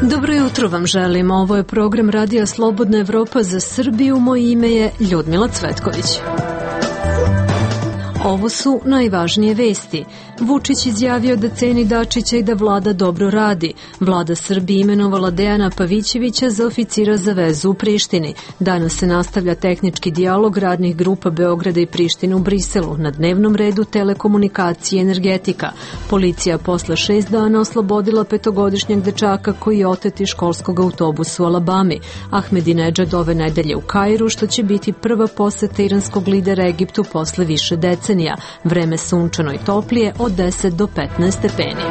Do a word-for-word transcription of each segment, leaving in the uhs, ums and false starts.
Dobro jutro vam želim. Ovo je program Radija Slobodna Evropa za Srbiju. Moje ime je Ljudmila Cvetković. Ovo su najvažnije vesti. Vučić izjavio da ceni Dačića i da vlada dobro radi. Vlada Srbije imenovala Dejana Pavićevića za oficira za vezu u Prištini. Danas se nastavlja tehnički dijalog radnih grupa Beograda i Prištine u Briselu. Na dnevnom redu telekomunikacije i energetika. Policija posle šest dana oslobodila petogodišnjeg dečaka koji je otet iz školskog autobusa u Alabami. Ahmedinedžad ove nedelje u Kairu, što će biti prva poseta iranskog lidera Egiptu posle više decenija. Vreme sunčano i toplije od deset do petnaest stepeni.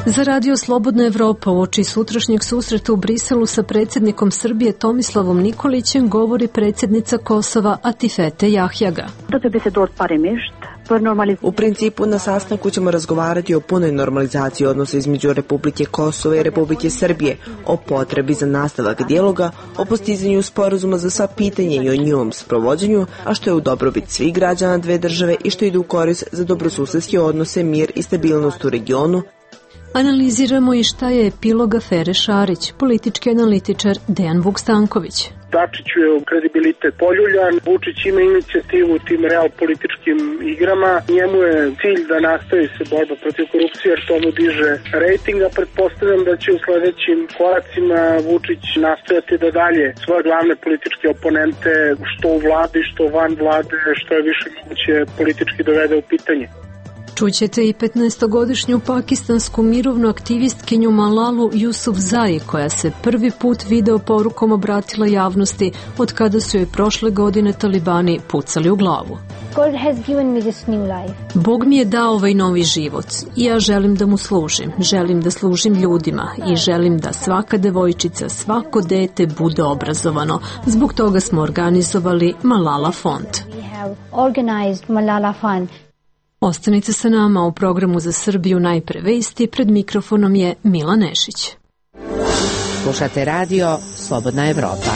Za Radio Slobodna Evropa uoči sutrašnjeg susreta u Briselu sa predsjednikom Srbije Tomislavom Nikolićem govori predsjednica Kosova Atifete Jahjaga. U principu na sastanku ćemo razgovarati o punoj normalizaciji odnosa između Republike Kosova i Republike Srbije, o potrebi za nastavak dijaloga, o postizanju sporazuma za sva pitanja i o njihovom sprovođenju, a što je u dobrobit svih građana dve države i što ide u korist za dobrosusedske odnose, mir i stabilnost u regionu. Analiziramo i šta je epilog afere Šarić, politički analitičar Dejan Vukstanković. Dačiću je kredibilitet poljuljan, Vučić ima inicijativu u tim real političkim igrama, njemu je cilj da nastavi se borba protiv korupcije jer to mu diže rejtinga. Pretpostavljam da će u sledećim koracima Vučić nastojati da dalje svoje glavne političke oponente, što u vladi, što van vlade, što je više moguće politički dovede u pitanje. Čućete i petnaestogodišnju pakistansku mirovnu aktivistkinju Malalu Jusufzai, koja se prvi put video porukom obratila javnosti od kada su joj prošle godine talibani pucali u glavu. God has given me this new life. Bog mi je dao ovaj novi život i ja želim da mu služim. Želim da služim ljudima i želim da svaka devojčica, svako dete bude obrazovano. Zbog toga smo organizovali Malala fond. We have organized Malala fund. Ostanite sa nama u programu za Srbiju najpre vesti. Pred mikrofonom je Mila Nešić. Slušate radio Slobodna Evropa.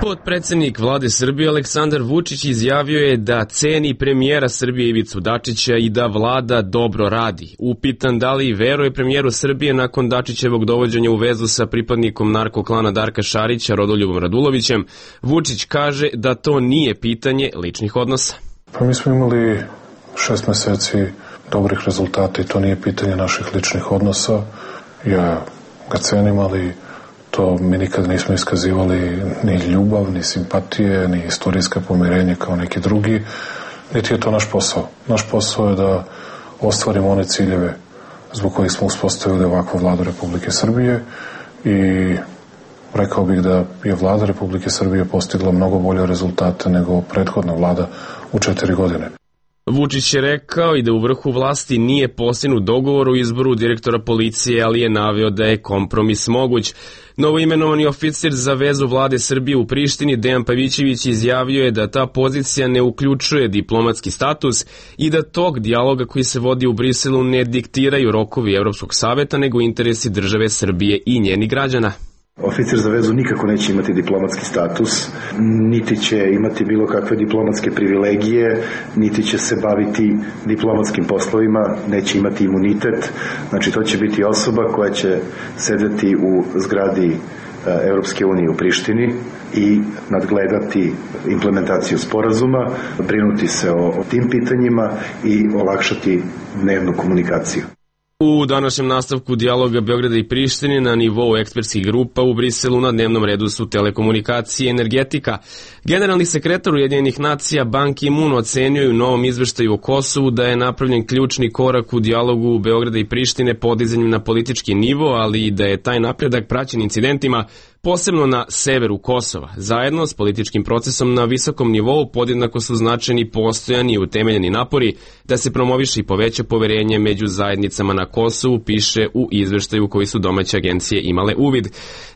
Potpredsednik vlade Srbije Aleksandar Vučić izjavio je da ceni premijera Srbije Ivicu Dačića i da vlada dobro radi. Upitan da li veruje premijeru Srbije nakon Dačićevog dovođenja u vezu sa pripadnikom narkoklana Darka Šarića, Rodoljubom Radulovićem, Vučić kaže da to nije pitanje ličnih odnosa. Pa mi smo imali šest meseci dobrih rezultata i to nije pitanje naših ličnih odnosa. Ja ga cenim, ali to mi nikad nismo iskazivali ni ljubav, ni simpatije, ni istorijske pomirenje kao neki drugi, niti je to naš posao. Naš posao je da ostvarimo one ciljeve zbog kojih smo uspostavili ovakvu vladu Republike Srbije i rekao bih da je vlada Republike Srbije postigla mnogo bolje rezultate nego prethodna vlada u četiri godine. Vučić je rekao i da u vrhu vlasti nije postignut dogovor o izboru direktora policije, ali je naveo da je kompromis moguć. Novoimenovani oficir za vezu vlade Srbije u Prištini, Dejan Pavićević, izjavio je da ta pozicija ne uključuje diplomatski status i da tog dijaloga koji se vodi u Briselu ne diktiraju rokovi Evropskog saveta, nego interesi države Srbije i njenih građana. Oficir za vezu nikako neće imati diplomatski status, niti će imati bilo kakve diplomatske privilegije, niti će se baviti diplomatskim poslovima, neće imati imunitet. Znači to će biti osoba koja će sedeti u zgradi Evropske unije u Prištini i nadgledati implementaciju sporazuma, brinuti se o tim pitanjima i olakšati dnevnu komunikaciju. U današnjem nastavku dijaloga Beograda i Prištine na nivou ekspertskih grupa u Briselu na dnevnom redu su telekomunikacije i energetika. Generalni sekretar Ujedinjenih nacija Ban Ki-moon ocenio je u novom izveštaju o Kosovu da je napravljen ključni korak u dijalogu Beograda i Prištine podizanjem na politički nivo, ali i da je taj napredak praćen incidentima, posebno na severu Kosova. Zajedno s političkim procesom na visokom nivou podjednako su značajni postojani i utemeljeni napori da se promoviše i poveća poverenje među zajednicama na Kosovu, piše u izveštaju koji su domaće agencije imale uvid.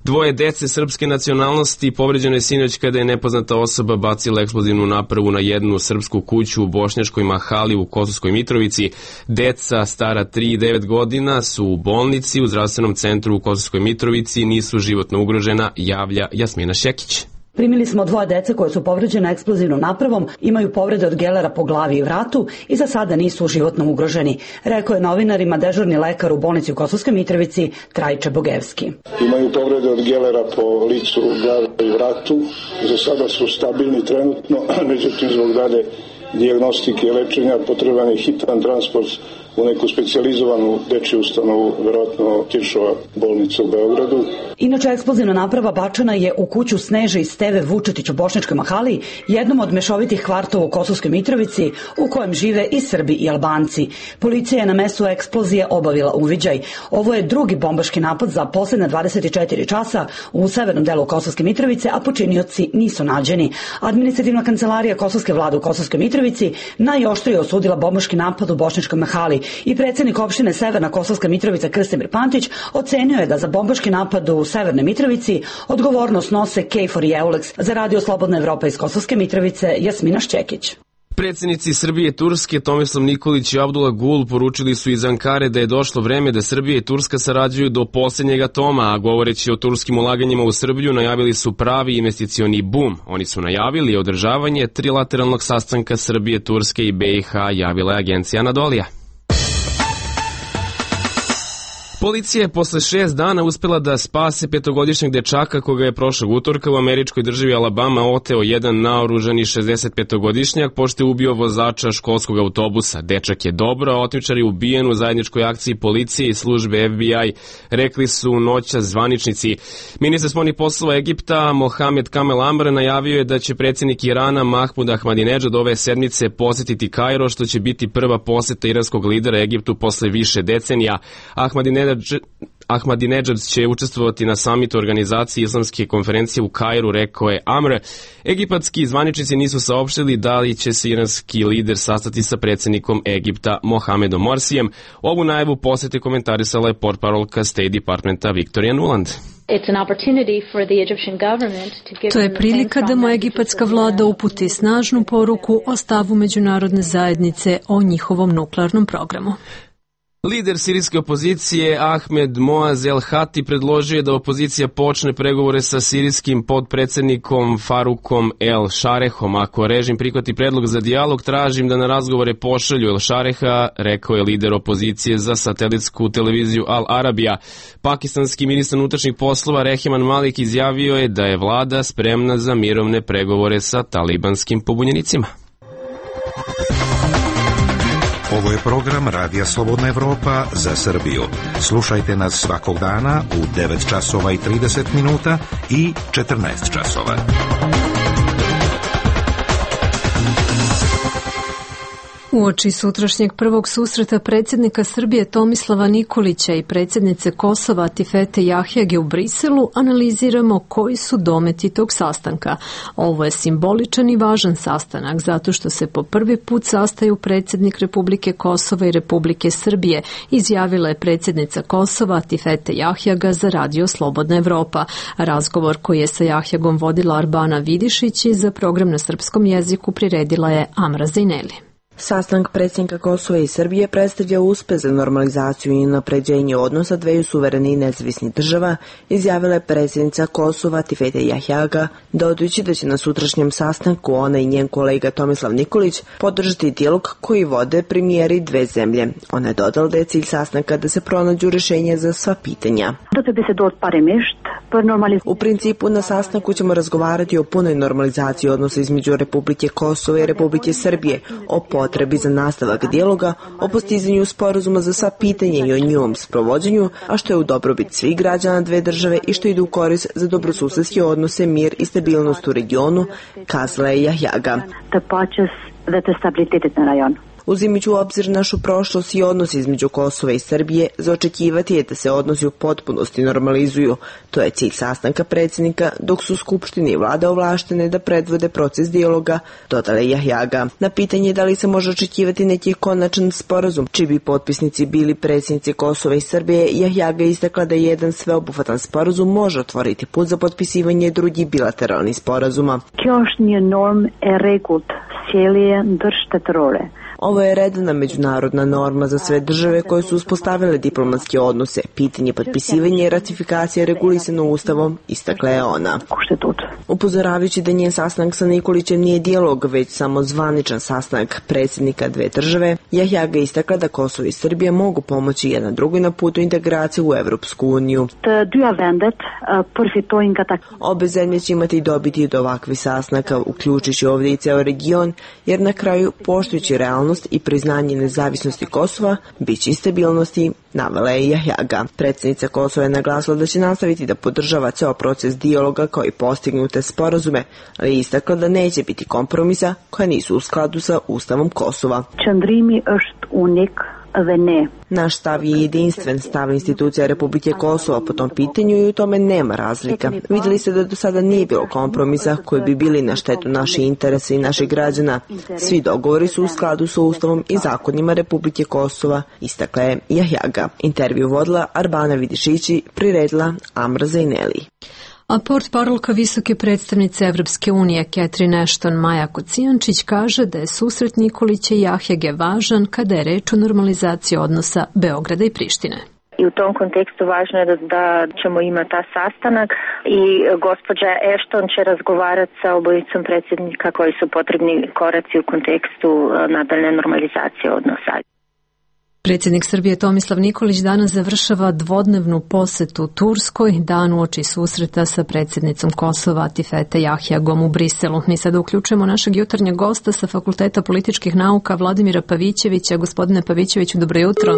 Dvoje dece srpske nacionalnosti povređeno je sinoć kada je nepoznata osoba bacila eksplozivnu napravu na jednu srpsku kuću u Bošnjačkoj Mahali u Kosovskoj Mitrovici. Deca stara tri i devet godina su u bolnici u zdravstvenom centru u Kosovskoj Mitrovici, nisu životno ugrožena, javlja Jasmina Šekić. Primili smo dvoje dece koje su povređene eksplozivnom napravom, imaju povrede od gelera po glavi i vratu i za sada nisu životno ugroženi, rekao je novinarima dežurni lekar u bolnici u Kosovskoj Mitrovici Trajče Bogevski. Imaju povrede od gelera po licu, glavi i vratu. Za sada su stabilni trenutno, međutim zbog dalje dijagnostike i lečenja potreban je hitan transport u neku specijalizovanu dečju ustanovu, verovatno Tiršova bolnica u Beogradu. Inače, eksplozivna naprava bačena je u kuću Sneže i Steve Vučetić u Bošnjačkoj Mahali, jednom od mešovitih kvartova u Kosovskoj Mitrovici, u kojem žive i Srbi i Albanci. Policija je na mestu eksplozije obavila uviđaj. Ovo je drugi bombaški napad za poslednja dvadeset četiri časa u severnom delu Kosovske Mitrovice, a počinioci nisu nađeni. Administrativna kancelarija Kosovske vlade u Kosovskoj Mitrovici najoštrije osudila bombaški napad u Bošnjačkoj Mahali i predsjednik opštine Severna Kosovska Mitrovica Krstimir Pantić ocenio je da za bombaški napad u Severnoj Mitrovici odgovornost nose K četiri i Eulex. Za Radio Slobodna Evropa iz Kosovske Mitrovice, Jasmina Šćekić. Predsjednici Srbije i Turske Tomislav Nikolić i Abdullah Gul poručili su iz Ankare da je došlo vreme da Srbija i Turska sarađuju do posljednjeg atoma, a govoreći o turskim ulaganjima u Srbiju najavili su pravi investicioni bum. Oni su najavili održavanje trilateralnog sastanka Srbije, Turske i B i H, javila je agencija Anadolija. Policija je posle šest dana uspela da spase petogodišnjeg dečaka koga je prošlog utorka u američkoj državi Alabama oteo jedan naoružani šezdesetpetogodišnjak pošto je ubio vozača školskog autobusa. Dečak je dobro, a otmičar je ubijen u zajedničkoj akciji policije i službe F B I, rekli su noćas zvaničnici. Ministar spoljnih poslova Egipta Mohamed Kamel Amr najavio je da će predsjednik Irana Mahmud Ahmadinedžad ove sedmice posetiti Kairo, što će biti prva poseta iranskog lidera Egiptu posle više decenija. Ahmadinedžad Ahmadinedžad će učestvovati na samitu organizacije islamske konferencije u Kairu, rekao je Amr. Egipatski zvaničnici nisu saopštili da li će se iranski lider sastati sa predsjednikom Egipta Mohamedom Morsijem. Ovu najavu posete komentarisala je portparolka State Departmenta Victoria Nuland. To je prilika da mu egipatska vlada uputi snažnu poruku o stavu međunarodne zajednice o njihovom nuklearnom programu. Lider sirijske opozicije Ahmed Moaz El Hati predložio je da opozicija počne pregovore sa sirijskim podpredsednikom Farukom El Šarehom. Ako režim prihvati predlog za dijalog, tražim da na razgovore pošalju El Šareha, rekao je lider opozicije za satelitsku televiziju Al Arabija. Pakistanski ministar unutrašnjih poslova Rehiman Malik izjavio je da je vlada spremna za mirovne pregovore sa talibanskim pobunjenicima. Ovo je program Radija Slobodna Evropa za Srbiju. Slušajte nas svakog dana u devet časova i trideset minuta i četrnaest časova. Uoči sutrašnjeg prvog susreta predsjednika Srbije Tomislava Nikolića i predsjednice Kosova Atifete Jahjage u Briselu analiziramo koji su dometi tog sastanka. Ovo je simboličan i važan sastanak zato što se po prvi put sastaju predsjednik Republike Kosova i Republike Srbije, izjavila je predsjednica Kosova Atifete Jahjaga za Radio Slobodna Evropa. Razgovor koji je sa Jahjagom vodila Arbana Vidišić i za program na srpskom jeziku priredila je Amra Zajneli. Sastanak predsjednika Kosova i Srbije predstavlja uspeh za normalizaciju i napređenje odnosa dveju suvereni i nezavisnih država, izjavila je predsjednica Kosova Atifete Jahjaga, dodajući da će na sutrašnjem sastanku ona i njen kolega Tomislav Nikolić podržati dijalog koji vode premijeri dve zemlje. Ona je dodala da je cilj sastanka da se pronađu rješenja za sva pitanja. U principu na sastanku ćemo razgovarati o punoj normalizaciji odnosa između Republike Kosova i Republike Srbije, o potrebi za nastavak dijaloga, o postizanju sporazuma za sva pitanja i o njihovom sprovođenju, a što je u dobrobit svih građana dve države i što ide u korist za dobrosusedske odnose, mir i stabilnost u regionu, kazala je Jahjaga. Uzimajući u obzir našu prošlost i odnos između Kosova i Srbije, za očekivati je da se odnosi u potpunosti normalizuju. To je cilj sastanka predsjednika, dok su Skupštine i vlada ovlaštene da predvode proces dijaloga, dodala je Jahjaga. Na pitanje da li se može očekivati neki konačan sporazum, čiji bi potpisnici bili predsjednici Kosova i Srbije, Jahjaga je istakla da jedan sveobuhvatan sporazum može otvoriti put za potpisivanje drugih bilateralnih sporazuma. Ovo je redovna međunarodna norma za sve države koje su uspostavile diplomatske odnose. Pitanje potpisivanja i ratifikacije regulisano ustavom, istakla je ona. Upozoravajući da njen sastanak sa Nikolićem nije dijalog, već samo zvaničan sastanak predsjednika dve države, Jahjaga istakla da Kosovo i Srbija mogu pomoći jedna drugoj na putu integracije u Evropsku uniju. Obe zemlje će imati dobiti od ovakvih sastanaka, uključujući ovdje i ceo region, jer na kraju, poštujući realnost i priznanje nezavisnosti Kosova, bit će i stabilnosti, navela je Jahjaga. Predsjednica Kosova je naglasila da će nastaviti da podržava ceo proces dijaloga kao i postignute sporazume, ali je istakla da neće biti kompromisa koja nisu u skladu sa Ustavom Kosova. Naš stav je jedinstven, stav institucija Republike Kosova po tom pitanju i u tome nema razlika. Vidjeli ste da do sada nije bilo kompromisa koji bi bili na štetu naših interesa i naših građana. Svi dogovori su u skladu sa Ustavom i zakonima Republike Kosova, istakla je Jahjaga. Intervju vodila Arbana Vidišići, priredila Amra Zaineli. A portparolka visoke predstavnice Evropske unije Catherine Ashton Maja Kocijančić kaže da je susret Nikolića i Jahjage važan kada je reč o normalizaciji odnosa Beograda i Prištine. I u tom kontekstu važno je da, da ćemo imati ta sastanak i gospođa Ashton će razgovarati sa obojicom predsjednika koji su potrebni koraci u kontekstu nadaljne normalizacije odnosa. Predsjednik Srbije Tomislav Nikolić danas završava dvodnevnu posetu Turskoj, dan uoči susreta sa predsjednicom Kosova Atifete Jahjagom u Briselu. Mi sada uključujemo našeg jutarnjeg gosta sa Fakulteta političkih nauka Vladimira Pavićevića. Gospodine Pavićeviću, dobro jutro.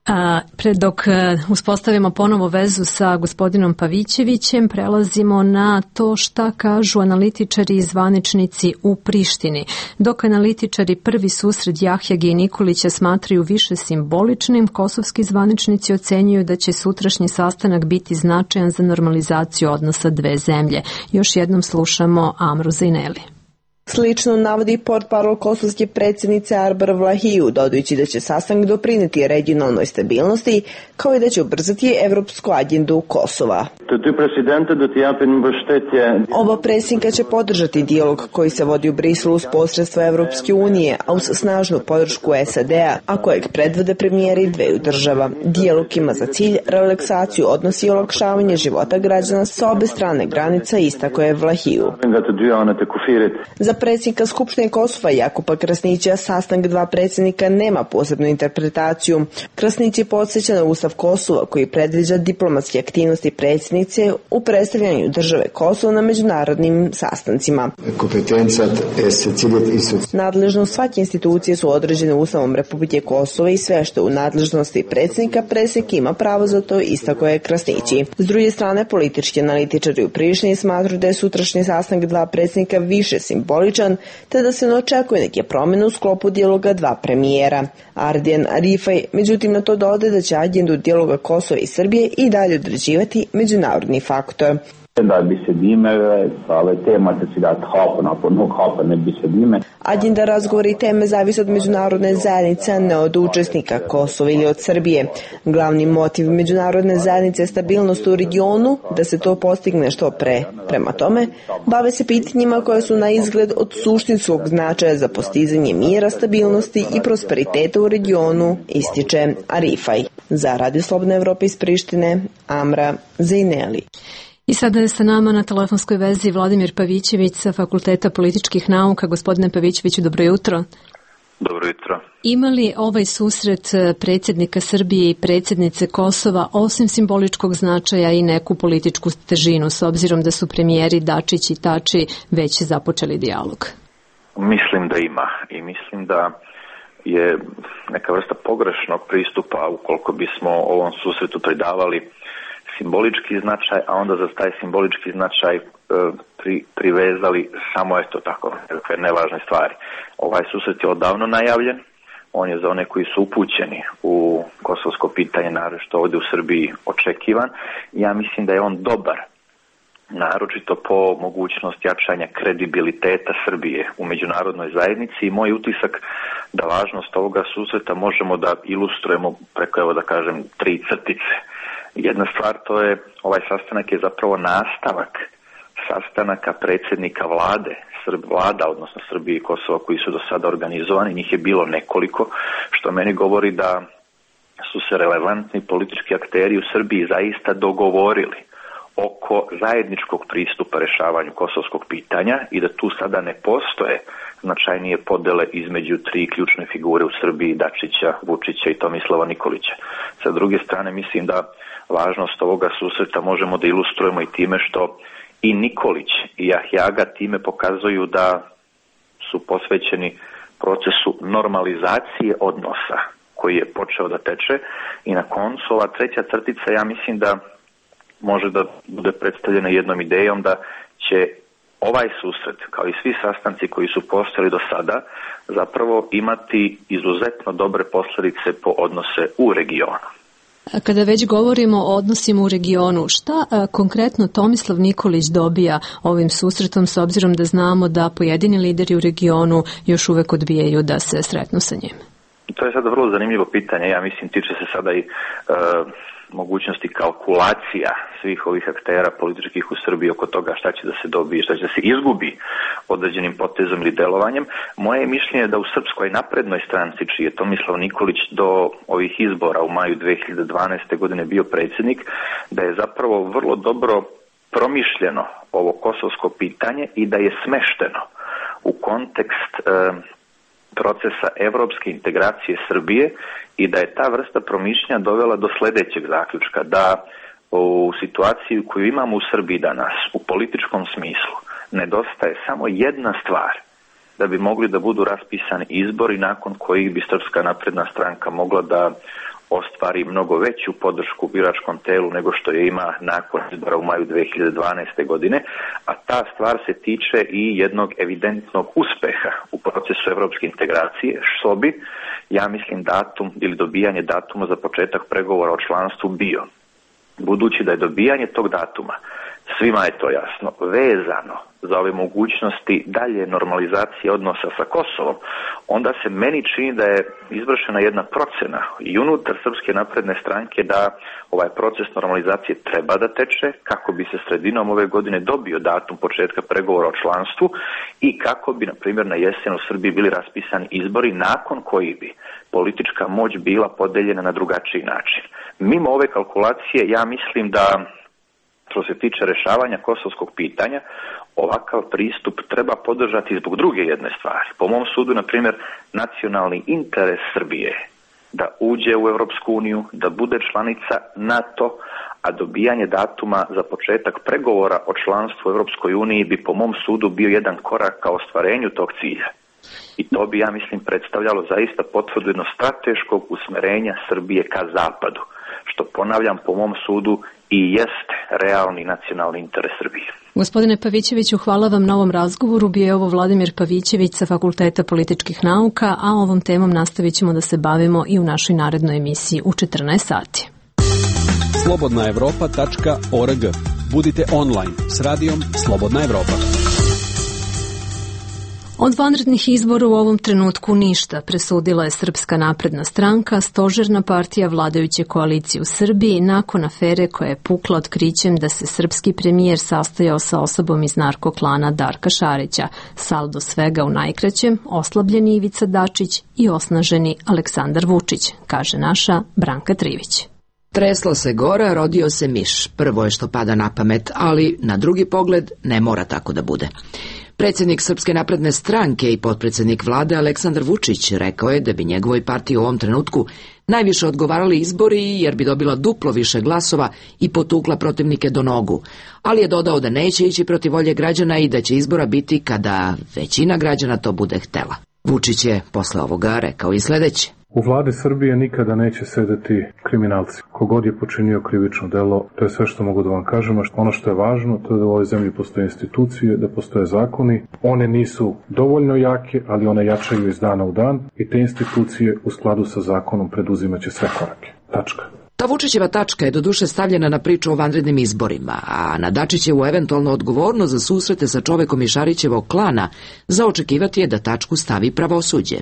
A, pre dok uspostavimo ponovo vezu sa gospodinom Pavićevićem, prelazimo na to šta kažu analitičari i zvaničnici u Prištini. Dok analitičari prvi susret Jahjage i Nikolića smatraju više simboličnim, kosovski zvaničnici ocenjuju da će sutrašnji sastanak biti značajan za normalizaciju odnosa dve zemlje. Još jednom slušamo Amru Zaineli. Slično navodi portparol kosovske predsjednice Arbar Vlahiju, dodajući da će sastanak doprineti regionalnoj stabilnosti, kao i da će ubrzati evropsku agendu Kosova. Oba predsjednika će podržati dijalog koji se vodi u Briselu uz posredstvo Evropske unije, a uz snažnu podršku S A D-a, a kojeg predvode premijeri dveju država. Dijalog ima za cilj relaksaciju odnosi i olakšavanje života građana sa obe strane granica, istako je Vlahiju. Za predsjednika Skupštine Kosova Jakupa Krasnića sastanak dva predsjednika nema posebnu interpretaciju. Krasnić je podsjeća na Ustav Kosova koji predviđa diplomatske aktivnosti predsjednice u predstavljanju države Kosovo na međunarodnim sastancima. Nadležnost svake institucije su određene Ustavom Republike Kosova i sve što u nadležnosti predsjednika, predsjednik ima pravo za to, istako je Krasnići. S druge strane, politički analitičari u Prištini smatruju da je sutrašnji sastanak dva predsjednika više simboličan, te da se ne očekuje neke promjene u sklopu dijaloga dva premijera. Ardijan Arifaj, međutim, na to dodaje da će agendu dijaloga Kosova i Srbije i dalje određivati međunarodni faktor. Agenda razgovora i teme zavise od međunarodne zajednice, a ne od učesnika Kosova ili od Srbije. Glavni motiv međunarodne zajednice je stabilnost u regionu, da se to postigne što pre. Prema tome, bave se pitanjima koje su na izgled od suštinskog značaja za postizanje mira, stabilnosti i prosperiteta u regionu, ističe Arifaj. Za Radio Slobodna Evropa iz Prištine, Amra Zaineli. I sada je sa nama na telefonskoj vezi Vladimir Pavićević sa Fakulteta političkih nauka. Gospodine Pavićeviću, dobro jutro. Dobro jutro. Ima li ovaj susret predsjednika Srbije i predsjednice Kosova osim simboličkog značaja i neku političku težinu, s obzirom da su premijeri Dačić i Tači već započeli dijalog? Mislim da ima i mislim da je neka vrsta pogrešnog pristupa ukoliko bismo ovom susretu pridavali simbolički značaj, a onda za taj simbolički značaj e, pri, privezali samo eto tako nekakve nevažne stvari. Ovaj susret je odavno najavljen, on je za one koji su upućeni u kosovsko pitanje, naročito ovdje u Srbiji, očekivan. Ja mislim da je on dobar, naročito po mogućnosti jačanja kredibiliteta Srbije u međunarodnoj zajednici i moj utisak da važnost ovoga susreta možemo da ilustrujemo preko, evo da kažem, tri crtice. Jedna stvar, to je, ovaj sastanak je zapravo nastavak sastanaka predsjednika vlade, Srb, vlada, odnosno Srbije i Kosova koji su do sada organizovani, njih je bilo nekoliko, što meni govori da su se relevantni politički akteri u Srbiji zaista dogovorili oko zajedničkog pristupa rešavanju kosovskog pitanja i da tu sada ne postoje značajnije podele između tri ključne figure u Srbiji, Dačića, Vučića i Tomislava Nikolića. Sa druge strane, mislim da važnost ovoga susreta možemo da ilustrujemo i time što i Nikolić i Jahjaga time pokazuju da su posvećeni procesu normalizacije odnosa koji je počeo da teče i na koncu ova treća crtica, ja mislim da može da bude predstavljena jednom idejom da će ovaj susret, kao i svi sastanci koji su postojali do sada, zapravo imati izuzetno dobre posledice po odnose u regionu. Kada već govorimo o odnosima u regionu, šta a, konkretno Tomislav Nikolić dobija ovim susretom, s obzirom da znamo da pojedini lideri u regionu još uvek odbijaju da se sretnu sa njim? To je sada vrlo zanimljivo pitanje. Ja mislim, tiče se sada i e, mogućnosti kalkulacija svih ovih aktera političkih u Srbiji oko toga šta će da se dobije, šta će da se izgubi određenim potezom ili delovanjem. Moje mišljenje je da u Srpskoj naprednoj stranci, čiji je Tomislav Nikolić do ovih izbora u maju dve hiljade dvanaeste. godine bio predsjednik, da je zapravo vrlo dobro promišljeno ovo kosovsko pitanje i da je smešteno u kontekst e, procesa evropske integracije Srbije i da je ta vrsta promišljanja dovela do sledećeg zaključka, da u situaciji koju imamo u Srbiji danas, u političkom smislu, nedostaje samo jedna stvar da bi mogli da budu raspisani izbori nakon kojih bi Srpska napredna stranka mogla da ostvari mnogo veću podršku biračkom telu nego što je ima nakon izbora u maju dve hiljade dvanaeste. godine, a ta stvar se tiče i jednog evidentnog uspeha u procesu evropske integracije, što bi, ja mislim, datum ili dobijanje datuma za početak pregovora o članstvu bio. Budući da je dobijanje tog datuma, svima je to jasno, vezano za ove mogućnosti dalje normalizacije odnosa sa Kosovom, onda se meni čini da je izvršena jedna procena i unutar Srpske napredne stranke da ovaj proces normalizacije treba da teče kako bi se sredinom ove godine dobio datum početka pregovora o članstvu i kako bi, na primjer, na jesen u Srbiji bili raspisani izbori nakon koji bi politička moć bila podeljena na drugačiji način. Mimo ove kalkulacije, ja mislim da što se tiče rešavanja kosovskog pitanja, ovakav pristup treba podržati zbog druge jedne stvari. Po mom sudu, na primjer, nacionalni interes Srbije da uđe u Evropsku uniju, da bude članica NATO, a dobijanje datuma za početak pregovora o članstvu u Evropskoj uniji bi po mom sudu bio jedan korak ka ostvarenju tog cilja. I to bi, ja mislim, predstavljalo zaista potvrdu jednog strateškog usmerenja Srbije ka zapadu, što, ponavljam, po mom sudu i jeste realni nacionalni interes Srbije. Gospodine Pavićeviću, hvala vam na ovom razgovoru. Bio je ovo Vladimir Pavićević sa Fakulteta političkih nauka, a ovom temom nastavit ćemo da se bavimo i u našoj narednoj emisiji u četrnaest sati. slobodna evropa tačka org. Budite online s radijom Slobodna Evropa. Od vanrednih izbora u ovom trenutku ništa, presudila je Srpska napredna stranka, stožerna partija vladajuće koalicije u Srbiji, nakon afere koja je pukla otkrićem da se srpski premijer sastojao sa osobom iz narkoklana Darka Šarića. Saldo svega u najkraćem, oslabljeni Ivica Dačić i osnaženi Aleksandar Vučić, kaže naša Branka Trivić. Tresla se gora, rodio se miš. Prvo je što pada na pamet, ali na drugi pogled ne mora tako da bude. Predsjednik Srpske napredne stranke i potpredsjednik vlade Aleksandar Vučić rekao je da bi njegovoj partiji u ovom trenutku najviše odgovarali izbori jer bi dobila duplo više glasova i potukla protivnike do nogu, ali je dodao da neće ići protiv volje građana i da će izbora biti kada većina građana to bude htela. Vučić je posle ovoga rekao i sledeće. U vladi Srbije nikada neće sedeti kriminalci. Kogod je počinio krivično delo, to je sve što mogu da vam kažem, a ono što je važno, to je da u ovoj zemlji postoje institucije, da postoje zakoni. One nisu dovoljno jake, ali one jačaju iz dana u dan i te institucije u skladu sa zakonom preduzimaće sve korake. Tačka. Ta Vučićeva tačka je doduše stavljena na priču o vanrednim izborima, a na Dačićevu eventualno odgovornost za susrete sa čovekom iz Šarićevog klana za očekivati je da tačku stavi pravosuđe,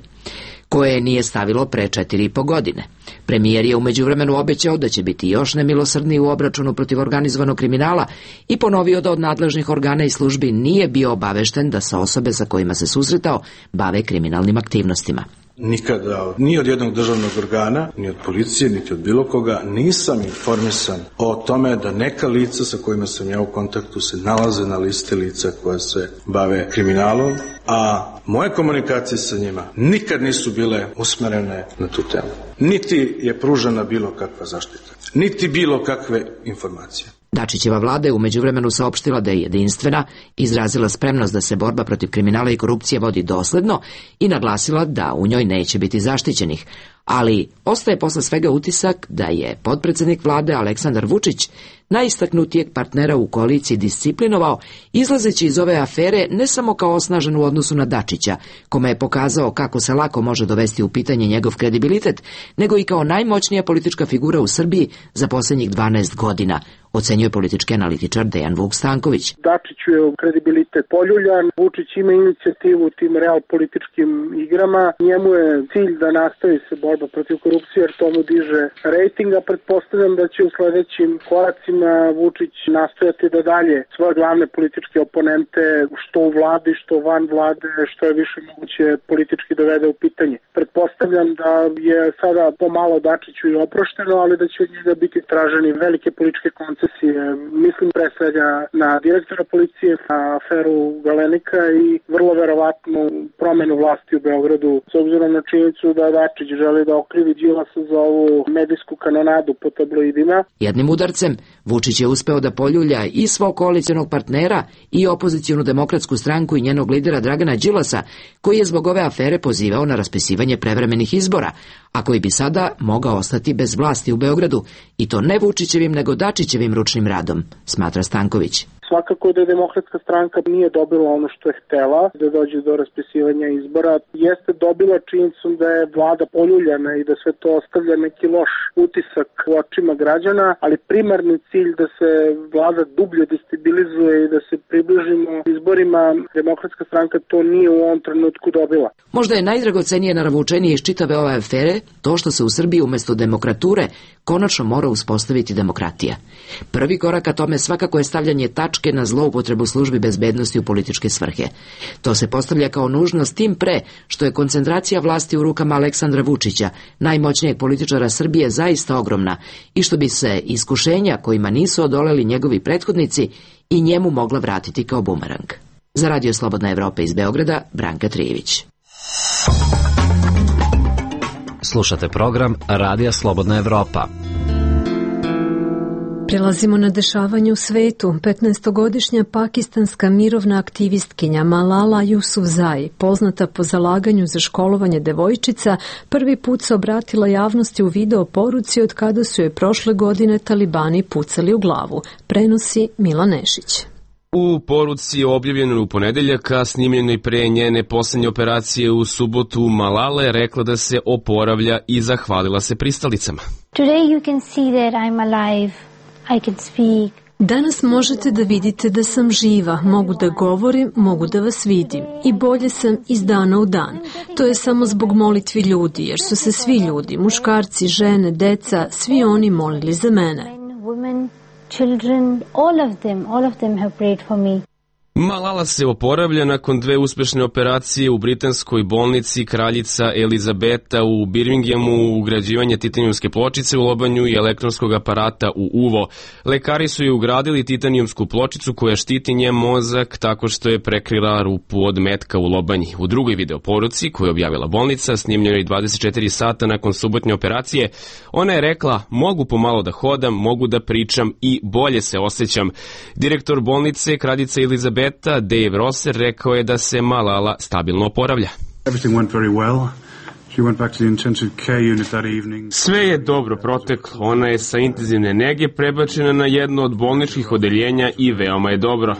koje nije stavilo pre četiri i po godine. Premijer je u međuvremenu obećao da će biti još nemilosrdniji u obračunu protiv organizovanog kriminala i ponovio da od nadležnih organa i službi nije bio obavešten da se osobe sa kojima se susretao bave kriminalnim aktivnostima. Nikada, ni od jednog državnog organa, ni od policije, niti od bilo koga, nisam informisan o tome da neka lica sa kojima sam ja u kontaktu se nalaze na listi lica koja se bave kriminalom, a moje komunikacije sa njima nikad nisu bile usmerene na tu temu. Niti je pružena bilo kakva zaštita, niti bilo kakve informacije. Dačićeva vlada je u međuvremenu saopštila da je jedinstvena, izrazila spremnost da se borba protiv kriminala i korupcije vodi dosledno i naglasila da u njoj neće biti zaštićenih, ali ostaje posle svega utisak da je potpredsednik vlade Aleksandar Vučić najistaknutijeg partnera u koaliciji disciplinovao, izlazeći iz ove afere ne samo kao osnažen u odnosu na Dačića, kome je pokazao kako se lako može dovesti u pitanje njegov kredibilitet, nego i kao najmoćnija politička figura u Srbiji za posljednjih dvanaest godina, ocenjuje politički analitičar Dejan Vuk Stanković. Dačiću je kredibilitet poljuljan, Vučić ima inicijativu u tim real političkim igrama, njemu je cilj da nastavi se borba protiv korupcije jer to mu diže rejtinga. Pretpostavljam da će u sledećim koracima Vučić nastojati da dalje svoje glavne političke oponente, što u vladi, što van vlade, što je više moguće politički dovede u pitanje. Pretpostavljam da je sada pomalo Dačiću i oprošteno, ali da će od njega biti traženi velike političke koncesije. Mislim pre svega na direktora policije, na aferu Galenika i vrlo verovatno promenu vlasti u Beogradu, s obzirom na činjenicu da Dačić želi da okrivi Đilasa za ovu medijsku kanonadu po tabloidima. Jednim udarcem Vučić je uspeo da poljulja i svog koalicionog partnera i opozicijonu demokratsku stranku i njenog lidera Dragana Đilasa, koji je zbog ove afere pozivao na raspisivanje prevremenih izbora, a koji bi sada mogao ostati bez vlasti u Beogradu, i to ne Vučićevim nego Dačićevim ručnim radom, smatra Stanković. Svakako da demokratska stranka nije dobila ono što je htela, da dođe do raspisivanja izbora. Jeste dobila činjenicom da je vlada poljuljana i da sve to ostavlja neki loš utisak u očima građana, ali primarni cilj da se vlada dublje destabilizuje i da se približimo izborima, demokratska stranka to nije u ovom trenutku dobila. Možda je najdragocenije naravučenije iz čitave ove afere to što se u Srbiji umesto demokrature konačno mora uspostaviti demokratija. Prvi korak ka tome svakako je stavljanje tačke na zloupotrebu službi bezbednosti u političke svrhe. To se postavlja kao nužnost tim pre što je koncentracija vlasti u rukama Aleksandra Vučića, najmoćnijeg političara Srbije, zaista ogromna i što bi se iskušenja kojima nisu odoleli njegovi prethodnici i njemu mogla vratiti kao bumerang. Za Radio Slobodna Evropa iz Beograda, Branka Trijević. Slušate program Radija Slobodna Evropa. Prelazimo na dešavanje u svetu. petnaestogodišnja pakistanska mirovna aktivistkinja Malala Yousafzai, poznata po zalaganju za školovanje devojčica, prvi put se obratila javnosti u video poruci od kada su je prošle godine talibani pucali u glavu. Prenosi Mila Nešić. U poruci objavljenoj u ponedeljak, a snimljenoj pre njene poslednje operacije u subotu, Malala je rekla da se oporavlja i zahvalila se pristalicama. Today you can see that I'm alive. I can speak. Danas možete da vidite da sam živa, mogu da govorim, mogu da vas vidim i bolje sam iz dana u dan. To je samo zbog molitvi ljudi, jer su se svi ljudi, muškarci, žene, deca, svi oni molili za mene. Women, children, all of them, all of them have prayed for me. Malala se oporavlja nakon dve uspešne operacije u britanskoj bolnici Kraljica Elizabeta u Birminghamu, ugrađivanje titanijumske pločice u lobanju i elektronskog aparata u uvo. Lekari su joj ugradili titanijumsku pločicu koja štiti njen mozak tako što je prekrila rupu od metka u lobanji. U drugoj videoporuci koju je objavila bolnica, snimljenoj dvadeset četiri sata nakon subotnje operacije, ona je rekla: mogu pomalo da hodam, mogu da pričam i bolje se osjećam. Direktor bolnice Kraljica Elizabeta Dave Rosser rekao je da se Malala stabilno oporavlja. Sve je dobro proteklo. Ona je sa intenzivne nege prebačena na jedno od bolničkih odeljenja i veoma je dobro.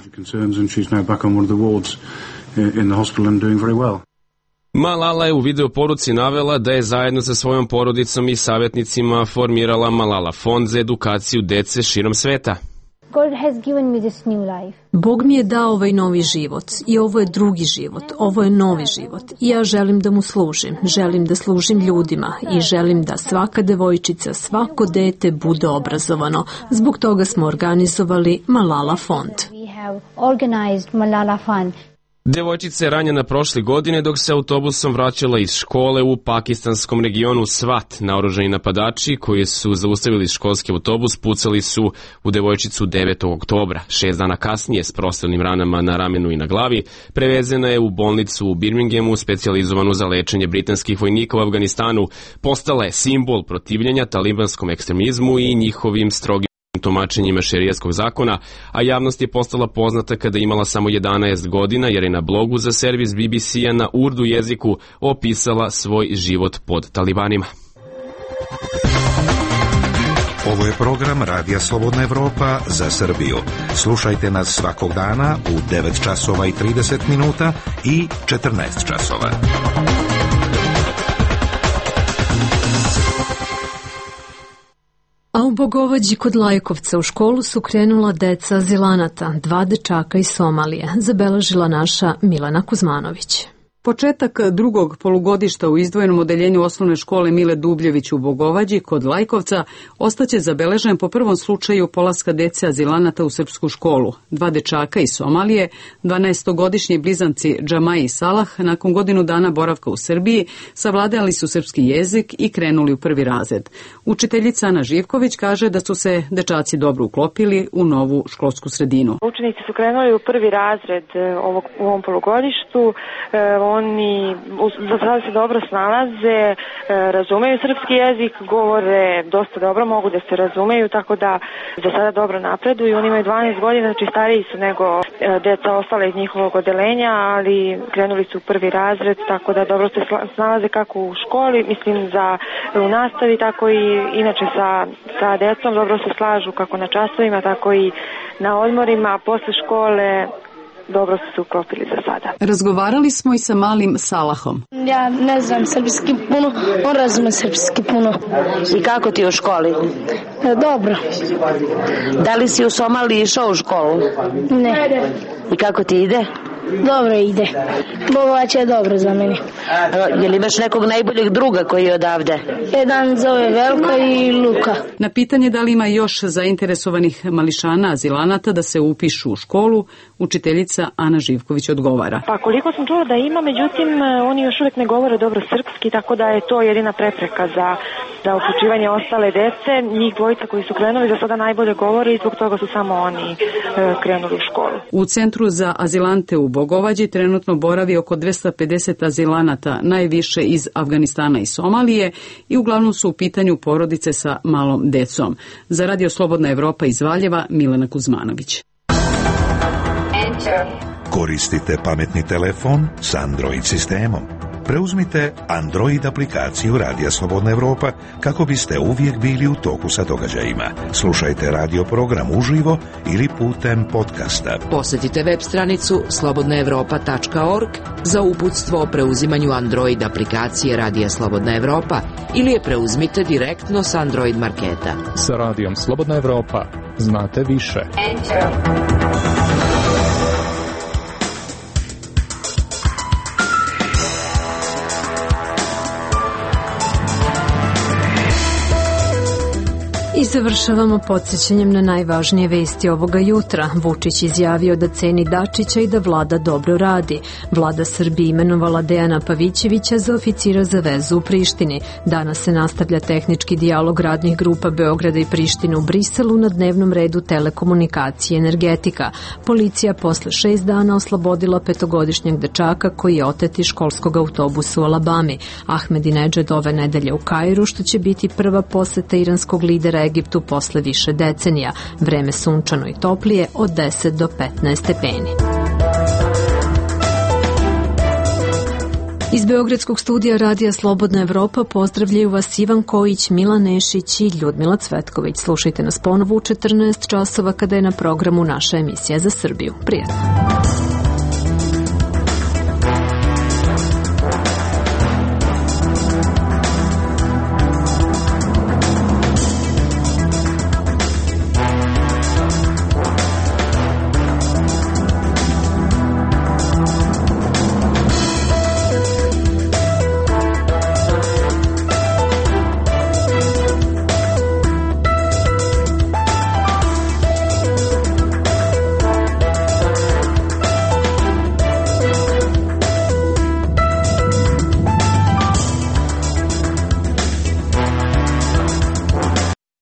Malala je u videoporuci navela da je zajedno sa svojom porodicom i savjetnicima formirala Malala fond za edukaciju dece širom sveta. God has given me this new life. Bog mi je dao ovaj novi život i ovo je drugi život, ovo je novi život i ja želim da mu služim, želim da služim ljudima i želim da svaka devojčica, svako dete bude obrazovano. Zbog toga smo organizovali Malala fond. We have organized Malala Fund. Devojčica je ranjena prošle godine dok se autobusom vraćala iz škole u pakistanskom regionu Svat. Naoružani napadači koji su zaustavili školski autobus pucali su u devojčicu devetog oktobra. Šest dana kasnije s prostornim ranama na ramenu i na glavi prevezena je u bolnicu u Birminghamu specijalizovanu za lečenje britanskih vojnika u Afganistanu. Postala je simbol protivljenja talibanskom ekstremizmu i njihovim strogim tumačenjima šerijatskog zakona, a javnost je postala poznata kada je imala samo jedanaest godina jer je na blogu za servis B B C-a na urdu jeziku opisala svoj život pod talibanima. Ovo je program Radija Slobodna Evropa za Srbiju. Slušajte nas svakog dana u devet časova i trideset minuta i četrnaest časova. A u Bogovađi kod Lajkovca u školu su krenula deca azilanata, dva dečaka iz Somalije, zabeležila naša Milana Kuzmanović. Početak drugog polugodišta u izdvojenom odeljenju osnovne škole Mile Dubljević u Bogovađi kod Lajkovca ostaće zabeležen po prvom slučaju polaska dece azilanata u srpsku školu. Dva dečaka iz Somalije, dvanaestogodišnji blizanci Džamaj i Salah, nakon godinu dana boravka u Srbiji, savladali su srpski jezik i krenuli u prvi razred. Učiteljica Ana Živković kaže da su se dečaci dobro uklopili u novu školsku sredinu. Učenici su krenuli u prvi razred ovog, u ovom polugodištu. Oni za sada se dobro snalaze, razumeju srpski jezik, govore dosta dobro, mogu da se razumeju, tako da za sada dobro napreduju. Oni imaju dvanaest godina, znači stariji su nego deca ostale iz njihovog odeljenja, ali krenuli su u prvi razred, tako da dobro se snalaze kako u školi, mislim za u nastavi, tako i inače sa, sa decom dobro se slažu kako na časovima, tako i na odmorima, posle škole. Dobro su se uklopili za sada. Razgovarali smo i sa malim Salahom. Ja ne znam srpski puno, on razume srpski puno. I kako ti je u školi? E, dobro. Da li si u Somaliji išao u školu? Ne. I kako ti ide? Dobro ide. Bogovać je dobro za mene. Je li imaš nekog najboljeg druga koji je odavde? Jedan zove Velko i Luka. Na pitanje da li ima još zainteresovanih mališana azilanata da se upišu u školu, učiteljica Ana Živković odgovara. Pa koliko sam čula da ima, međutim oni još uvijek ne govore dobro srpski, tako da je to jedina prepreka za, za uključivanje ostale dece. Njih dvojica koji su krenuli za sada najbolje govore i zbog toga su samo oni e, krenuli u školu. U Centru za azilante u Bogovađi trenutno boravi oko dvesta pedeset azilanata, najviše iz Afganistana i Somalije, i uglavnom su u pitanju porodice sa malom decom. Za Radio Slobodna Evropa iz Valjeva, Milana Kuzmanović. Koristite pametni telefon s Android sistemom. Preuzmite Android aplikaciju Radija Slobodna Evropa kako biste uvijek bili u toku sa događajima. Slušajte radio program uživo ili putem podcasta. Posjetite web stranicu slobodna evropa tačka org za uputstvo o preuzimanju Android aplikacije Radija Slobodna Evropa ili je preuzmite direktno s Android marketa. Sa Radijom Slobodna Evropa znate više. Enter. I završavamo podsjećanjem na najvažnije vesti ovoga jutra. Vučić izjavio da ceni Dačića i da vlada dobro radi. Vlada Srbije imenovala Dejana Pavićevića za oficira za vezu u Prištini. Danas se nastavlja tehnički dijalog radnih grupa Beograda i Prištine u Briselu, na dnevnom redu telekomunikacije i energetika. Policija posle šest dana oslobodila petogodišnjeg dečaka koji je otet iz školskog autobusa u Alabami. Ahmedinedžad ove nedelje u Kairu, što će biti prva poseta iranskog lidera Egiptu posle više decenija. Vreme sunčano i toplije od deset do petnaest stepeni. Iz Beogradskog studija Radija Slobodna Evropa pozdravljaju vas Ivan Kojić, Milan Nešić i Ljudmila Cvetković. Slušajte nas ponovo u četrnaest časova kada je na programu naša emisija za Srbiju. Prijatno.